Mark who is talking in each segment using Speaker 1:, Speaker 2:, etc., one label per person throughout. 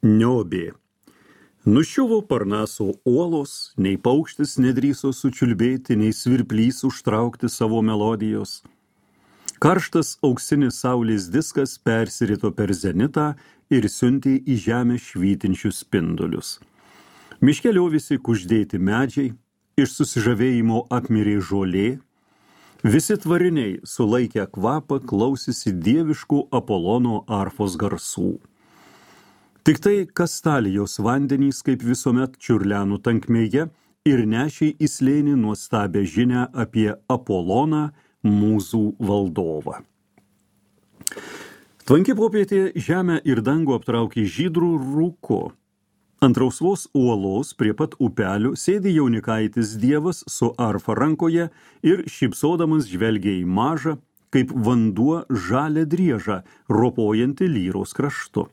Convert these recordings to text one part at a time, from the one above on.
Speaker 1: Niobė. Nuščiuvo Parnaso uolos, nei paukštis nedrįso sučiulbėti, nei svirplys užtraukti savo melodijos. Karštas auksinis saulės diskas persirito per zenitą ir siuntė į žemę švytinčius spindulius. Miške liovėsi kuždėti medžiai, iš susižavėjimo apmirė žolė, visi tvariniai sulaikę kvapą klausėsi dieviškų Apolono arfos garsų. Tik tai Kastalijos vandenys, kaip visuomet, čiurlenų tankmėje ir nešė į slėnį nuostabę žinią apie Apoloną, mūzų valdovą. Tvanki popietė žemę ir dangų aptraukė žydrų rūku. Ant rausvos uolos prie pat upelių sėdi jaunikaitis dievas su arfa rankoje ir šypsodamas žvelgia į mažą, kaip vanduo žalią driežą, ropojantį lyros kraštu.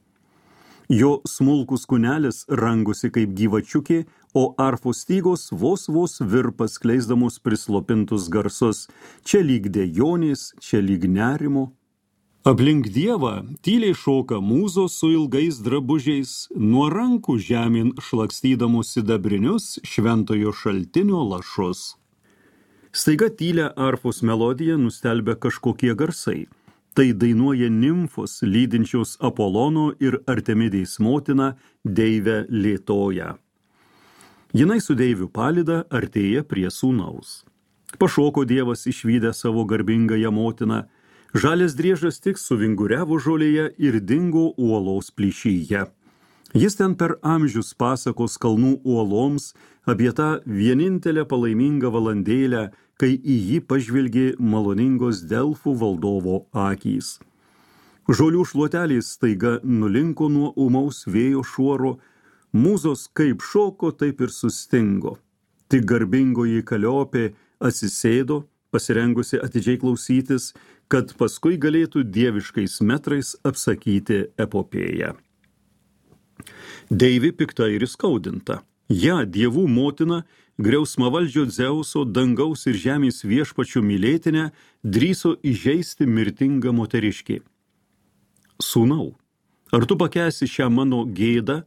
Speaker 1: Jo smulkus kūnelis rangosi kaip gyvačiukė, o arfos stygos vos virpas skleisdamos prislopintus garsus, čia lyg dejonės, čia lyg nerimo. Aplink dievą tyliai šoka mūzos su ilgais drabužiais, nuo rankų žemyn šlakstydamos sidabrinius šventojo šaltinio lašus. Staiga tylią arfos melodiją nustelbia kažkokie garsai. Tai dainuoja nimfos, lydinčios Apolono ir Artemidės motiną, deivę Lietoją. Jinai su deivių palyda artėja prie sūnaus. Pašoko dievas išvydę savo garbingąją motiną, žalias driežas tik suvinguriavo žolėje ir dingo uolos plyšyje. Jis ten per amžius pasakos kalnų uoloms apie tą vienintelę palaimingą valandėlę, kai į jį pažvelgė maloningos Delfų valdovo akys. Žolių šluotelės staiga nulinko nuo ūmaus vėjo šuoro, mūzos kaip šoko, taip ir sustingo. Tik garbingoji Kaliopė atsisėdo, pasirengusi atidžiai klausytis, kad paskui galėtų dieviškais metrais apsakyti epopėją. Deivė pikta ir įskaudinta. Ja, dievų motina, griausmavaldžio Dzeuso, dangaus ir žemės viešpačių mylėtinę, drįso įžeisti mirtingą moteriškį. Sūnau, ar tu pakęsi šią mano gėdą,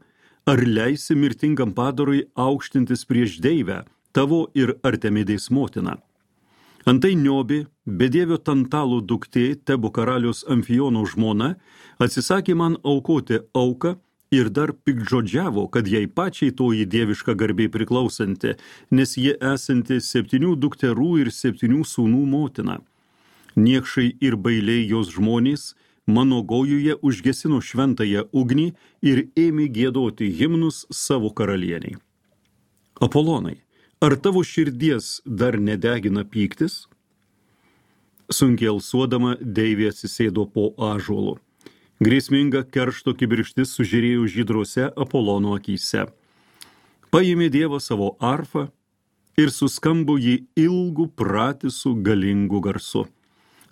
Speaker 1: ar leisi mirtingam padarui aukštintis prieš deivę, tavo ir Artemidės motiną? Antai Niobė, bedievio Tantalo duktė, Tebo karalius Amfiono žmona, atsisakė man aukoti auką, ir dar piktžodžiavo, kad jai pačiai toji dieviška garbė priklausanti, nes jie esanti 7 dukterų ir 7 sūnų motina. Niekšai ir bailiai jos žmonės mano gojuje užgesino šventąją ugnį ir ėmė giedoti himnus savo karalieniai. Apolonai, ar tavo širdies dar nedegina pyktis? Sunkiai alsuodama deivė atsisėdo po ąžuolu. Grėsminga keršto kibirkštis sužiūrėjo žydrose Apolono akyse. Paėmė dievą savo arfą ir suskambo jį ilgų pratisų galingų garsu.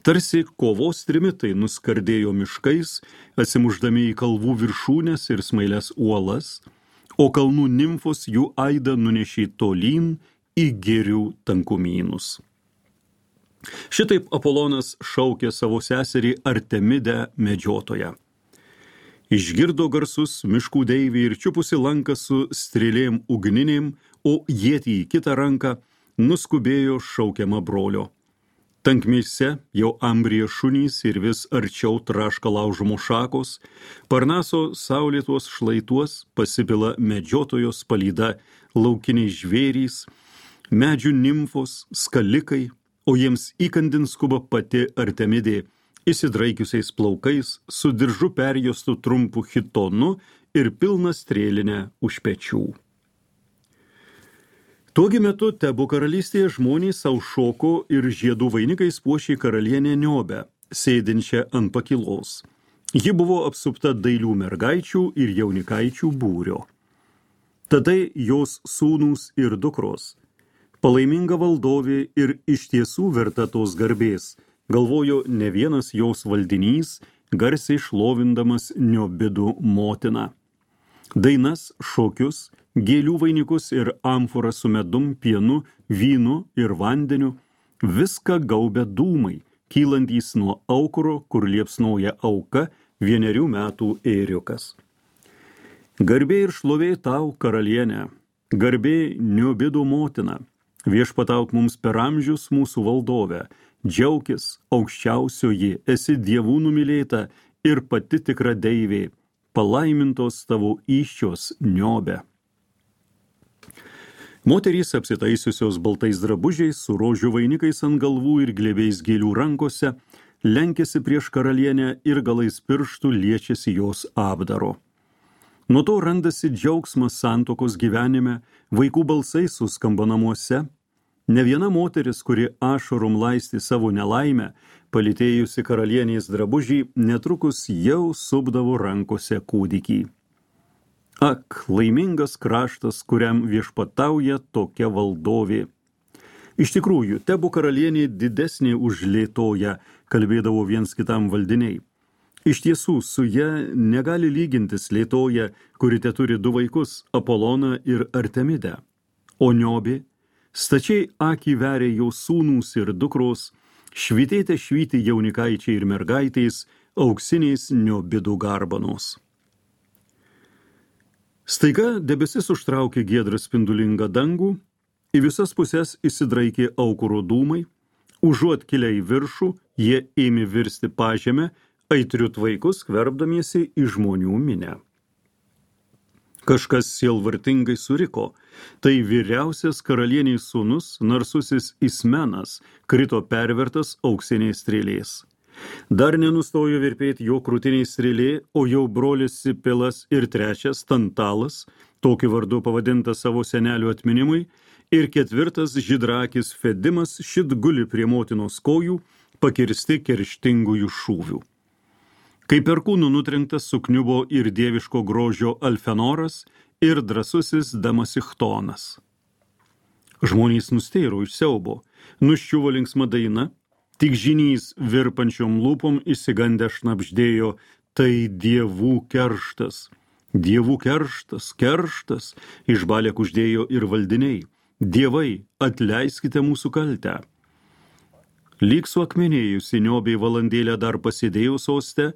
Speaker 1: Tarsi kovos trimitai nuskardėjo miškais, atsimušdami į kalvų viršūnes ir smailias uolas, o kalnų nimfos jų aidą nunešė tolyn į girių tankumynus. Šitaip Apolonas šaukė savo seserį Artemidę medžiotoją. Išgirdo garsus miškų deivė ir čiupusi lanką su strėlėm ugninėm, o ietį į kitą ranką nuskubėjo šaukiama brolio. Tankmėse jau ambrija šunys ir vis arčiau traška laužomų šakos, Parnaso saulėtuos šlaituos pasipila medžiotojos palyda laukiniai žvėrys, medžių nimfos, skalikai, o jiems įkandin skuba pati Artemidė, įsidraikiusiais plaukais, su diržu perjuostu trumpu chitonu ir pilna strėlinę už pečių. Tuogi metu Tebo karalystėje žmonės sau šoko ir žiedų vainikais puošė karalienę Niobę, sėdinčią ant pakilos. Ji buvo apsupta dailių mergaičių ir jaunikaičių būrio. Tada jos sūnūs ir dukros, palaiminga valdovė ir iš tiesų verta tos garbės, galvojo ne vienas jos valdinys, garsiai šlovindamas Niobidų motiną. Dainas, šokius, gėlių vainikus ir amforą su medum, pienu, vynu ir vandeniu, viską gaubia dūmai, kylantys nuo aukuro, kur liepsnoja auka, 1 metų ėriukas. Garbė ir šlovė tau, karalienė, garbė Niobido motina, viešpatauk mums per amžius mūsų valdove, džiaukis aukščiausioji, esi dievų numylėta ir pati tikra deivė, palaimintos tavo įsčios Niobė. Moterys apsitaisiusios baltais drabužiais, su rožių vainikais ant galvų ir glėbiais gėlių rankose, lenkėsi prieš karalienę ir galais pirštų liečiasi jos apdaro. Nuo to randasi džiaugsmas santokos gyvenime, vaikų balsai suskamba namuose. Ne viena moteris, kuri ašarom laisti savo nelaimę, palytėjusi karalienės drabužį, netrukus jau supdavo rankose kūdikį. Ak, laimingas kraštas, kuriam viešpatauja tokia valdovė. Iš tikrųjų, tebu karalienė didesnė už Lėtoją, kalbėdavo viens kitam valdiniai. Iš tiesų, su ja negali lygintis Lėtoja, kuri teturi 2 vaikus, Apoloną ir Artemidę. O Niobė, stačiai akį veria jau sūnūs ir dukros, švytėte švyti jaunikaičiai ir mergaitės, auksiniais Niobidų garbanos. Staiga debesis užtraukė giedrą spindulingą dangų, į visas pusės įsidraikė aukuro dūmai, užuot kilę į viršų, jie ėmė virsti pažemę, aitriu tvaiku skverbdamiesi į žmonių minę. Kažkas sielvartingai suriko, tai vyriausias karalienės sūnus, narsusis Ismenas, krito pervertas auksiniais strėlės. Dar nenustojo virpėti jo krūtiniai strėlė, o jau brolis Sipilas ir 3 Tantalas, tokiu vardu pavadintas savo senelių atminimui, ir 4 žydrakis Fedimas šit guli prie motinos kojų, pakirsti kerštingųjų šūvių. Kai perkūnų nutrenktas sukniubo ir dieviško grožio Alfenoras ir drąsusis Damasichtonas. Žmonės nustėro iš siaubo, nuščiuvo linksma daina, tik žinys virpančiom lūpom įsigandę šnabždėjo, tai dievų kerštas. Dievų kerštas, kerštas, išbalę kuždėjo ir valdiniai. Dievai, atleiskite mūsų kaltę. Lyg suakmenėjusi Niobė valandėlę dar pasėdėjo soste,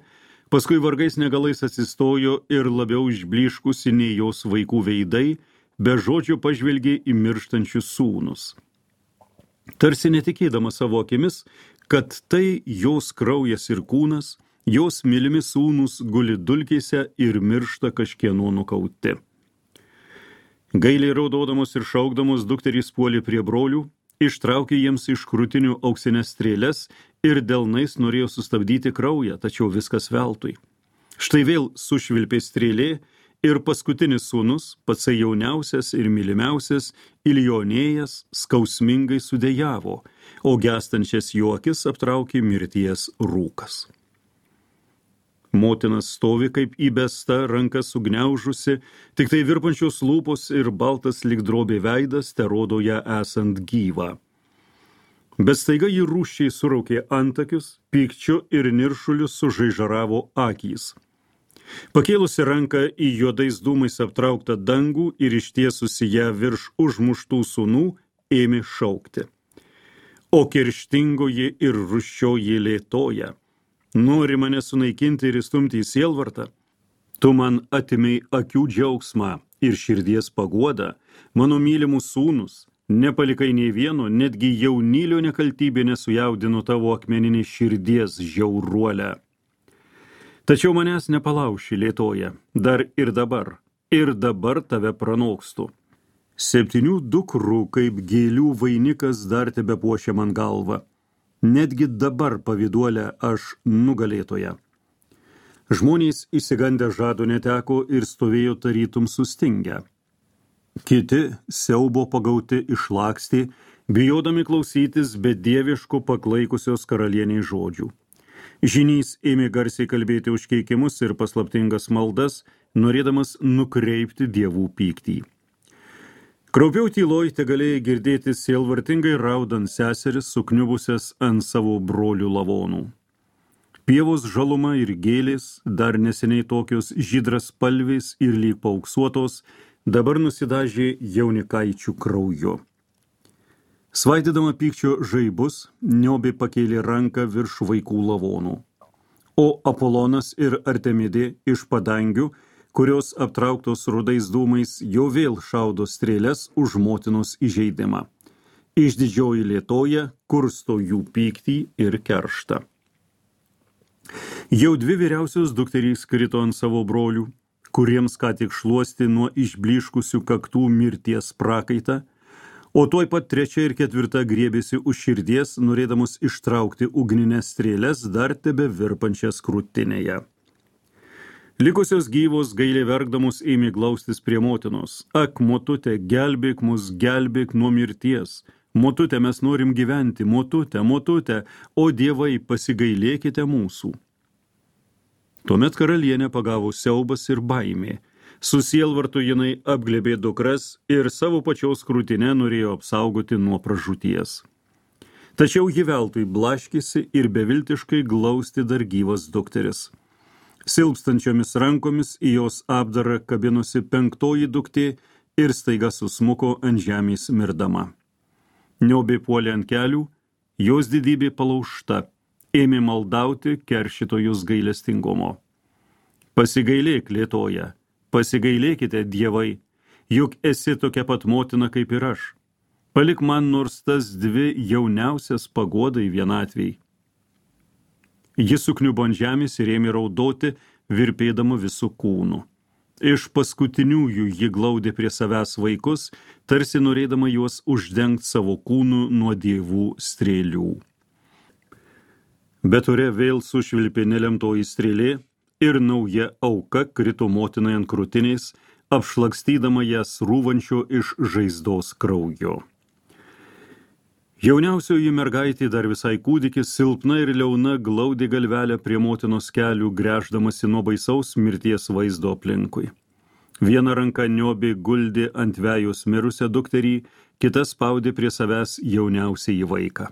Speaker 1: paskui vargais negalais atsistojo ir labiau išbliškusi nei jos vaikų veidai, be žodžio pažvelgė į mirštančius sūnus. Tarsi netikėdama savo akimis, kad tai jos kraujas ir kūnas, jos mylimi sūnus guli dulkėse ir miršta kažkieno nukauti. Gailiai raudodamos ir šaukdamos dukterys puolė prie brolių, ištraukė jiems iš krūtinių auksinės strėles ir delnais norėjo sustabdyti kraują, tačiau viskas veltui. Štai vėl sušvilpė strėlė ir paskutinis sūnus, pats jauniausias ir mylimiausias, Ilionėjas, skausmingai sudejavo, o gestančias jo akis aptraukė mirties rūkas. Motinas stovi kaip įbesta, rankas sugniaužusi, tik tai virpančios lūpos ir baltas lyg drobė veidas terodo ją esant gyvą. Bet staiga ji rūsčiai suraukė antakius, pykčiu ir niršuliu sužaižaravo akys. Pakėlusi ranką į juodais dūmais aptrauktą dangų ir ištiesusi ją virš užmuštų sūnų, ėmė šaukti. O kerštingoji ir rūsčioji Lėtoja, nori mane sunaikinti ir įstumti į sielvartą? Tu man atimei akių džiaugsmą ir širdies paguodą, mano mylimus sūnus, nepalikai nei vieno, netgi jaunylio nekaltybė nesujaudino tavo akmeninį širdies žiauruolę. Tačiau manęs nepalauši, Lėtoja, dar ir dabar tave pranokstu. 7 dukrų kaip gėlių vainikas dar tebepuošia man galvą. Netgi dabar pavyduolę aš nugalėtoja. Žmonės įsigandę žado neteko ir stovėjo tarytum sustingę. Kiti siaubo pagauti išlakstė, bijodami klausytis bedieviško paklaikusios karalienės žodžių. Žinys ėmė garsiai kalbėti užkeikimus ir paslaptingas maldas, norėdamas nukreipti dievų pyktį. Kraupiau tyloj tegalėjai girdėti sielvartingai raudant seseris sukniubusias ant savo brolių lavonų. Pievos žaluma ir gėlės, dar neseniai tokios žydras spalvės ir lyg paauksuotos, dabar nusidažė jaunikaičių krauju. Svaidydama pykčio žaibus, Niobė pakėlė ranką virš vaikų lavonų. O Apolonas ir Artemidė iš padangių, kurios aptrauktos rudais dūmais jau vėl šaudo strėles už motinos įžeidimą. Išdidžioji Lietoja kursto jų pyktį ir kerštą. Jau 2 vyriausios dukterys krito ant savo brolių, kuriems ką tik šluosti nuo išbliškusių kaktų mirties prakaitą, o tuoj pat 3 ir 4 griebėsi už širdies, norėdamos ištraukti ugninės strėles dar tebe virpančias krūtinėje. Likusios gyvos gailiai verkdamos ėmė glaustis prie motinos. Ak, motute, gelbėk mus, gelbėk nuo mirties. Motute, mes norim gyventi, motute, motute, o dievai, pasigailėkite mūsų. Tuomet karalienę pagavo siaubas ir baimė. Su sielvartu jinai apglėbė dukras ir savo pačios krūtinę norėjo apsaugoti nuo pražūties. Tačiau ji veltui blaškėsi ir beviltiškai glausti dar gyvas dukteris. Silpstančiomis rankomis į jos apdarą kabinosi 5 duktė ir staiga susmuko ant žemės mirdama. Niobė puolė ant kelių, jos didybė palaužta, ėmė maldauti keršytojus gailestingumo. Pasigailėk, Lietoja, pasigailėkite, dievai, juk esi tokia pat motina kaip ir aš. Palik man nors tas 2 jauniausias paguodai vienatviai. Jis sukniubo ant žemės ir ėmė raudoti, virpėdama visų kūnų. Iš paskutiniųjų ji glaudė prie savęs vaikus, tarsi norėdama juos uždengti savo kūnų nuo dievų strėlių. Bet ore vėl sušvilpė nelemtoji strėlė ir nauja auka krito motinai ant krūtinės, apšlakstydama jas rūvančio iš žaizdos kraujo. Jauniausioji mergaitė, dar visai kūdikis, silpna ir liauna, glaudė galvelę prie motinos kelių, gręždamasi nuo baisaus mirties vaizdo aplinkui. Viena ranka niobė guldė ant vejos mirusią dukterį, kita spaudė prie savęs jauniausiąjį vaiką.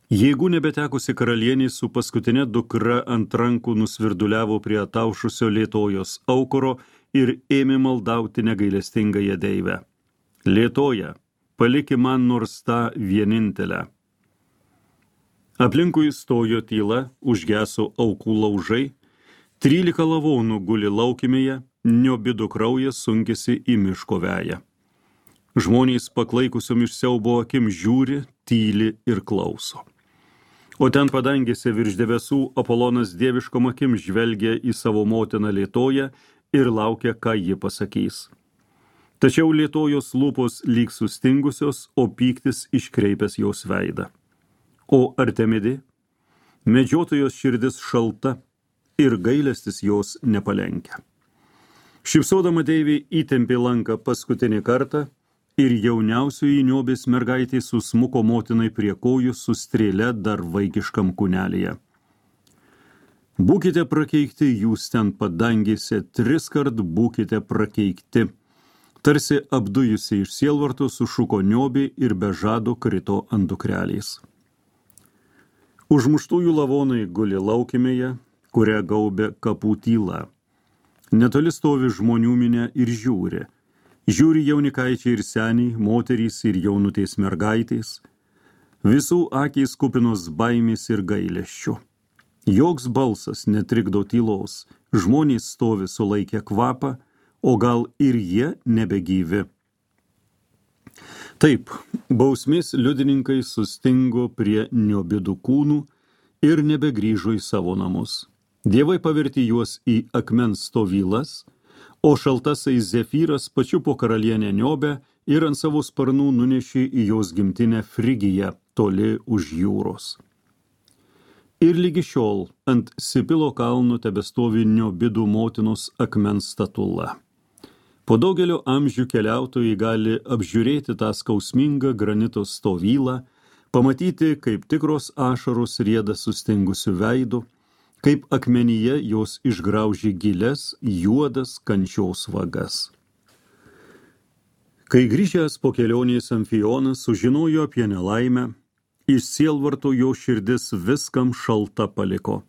Speaker 1: Jėgų nebetekusi karalienė su paskutinė dukra ant rankų nusvirduliavo prie ataušusio Lietojos aukuro ir ėmė maldauti negailestingąją deivę. Lietoja, paliki man nors tą vienintelę. Aplinkui stojo tyla, užgeso aukų laužai, 13 lavonų guli laukimėje, niobidų kraujas sunkėsi į miško veją. Žmonės paklaikusiom iš siaubo akim žiūri, tyli ir klauso. O ten padangėse virš debesų Apolonas dieviškom akim žvelgia į savo motiną Lietoją ir laukia, ką ji pasakys. Tačiau Lietojos lūpos lyg sustingusios, o pyktis iškreipęs jos veidą. O Artemidė, medžiotojos širdis šalta ir gailestis jos nepalenkia. Šypsodama deivė įtempė lanką paskutinį kartą ir jauniausioji niobės mergaitė susmuko motinai prie kojų su strėle dar vaikiškam kūnelėje. Būkite prakeikti jūs ten padangėse, 3 kart būkite prakeikti. Tarsi apdujusi iš sielvarto sušuko niobė ir be žado krito ant dukrelės. Užmuštųjų lavonai guli laukimėje, kurią gaubė kapų tyla. Netoli stovi žmonių minė ir žiūri. Žiūri jaunikaičiai ir seniai, moterys ir jaunutės mergaitės. Visų akys kupinos baimės ir gailesčio. Joks balsas netrikdo tylos, žmonės stovi sulaikę kvapą, o gal ir jie nebegyvi. Taip, bausmės liudininkai sustingo prie niobidų kūnų ir nebegrįžo į savo namus. Dievai pavertė juos į akmens stovylas, o šaltasai Zefyras pačiupo karalienę Niobę ir ant savo sparnų nunešė į jos gimtinę Frigiją, toli už jūros. Ir lygi šiol ant Sipilo kalno tebestovi Niobidų motinos akmens statula. Po daugelio amžių keliautojai gali apžiūrėti tą skausmingą granito stovylą, pamatyti, kaip tikros ašaros rieda sustingusių veidų, kaip akmenyje jos išgraužė gilias, juodas kančios vagas. Kai grįžęs po kelionės Amfionas sužinojo apie nelaimę, iš sielvarto jo širdis viskam šalta paliko.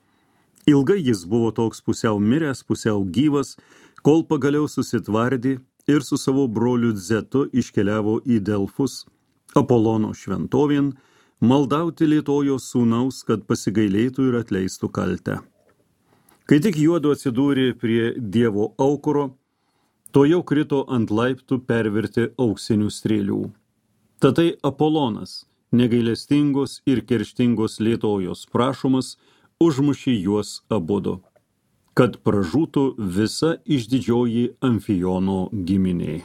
Speaker 1: Ilgai jis buvo toks pusiau miręs, pusiau gyvas, kol pagaliau susitvardė ir su savo broliu Zetu iškeliavo į Delfus, Apolono šventovėn, maldauti Lietojos sūnaus, kad pasigailėtų ir atleistų kaltę. Kai tik juodu atsidūrė prie Dievo aukuro, to jau krito ant laiptų perverti auksinių strėlių. Tatai Apolonas, negailestingos ir kerštingos lėtojos prašomas, užmušė juos abudu, kad pražūtų visa išdidžioji Amfijono giminė.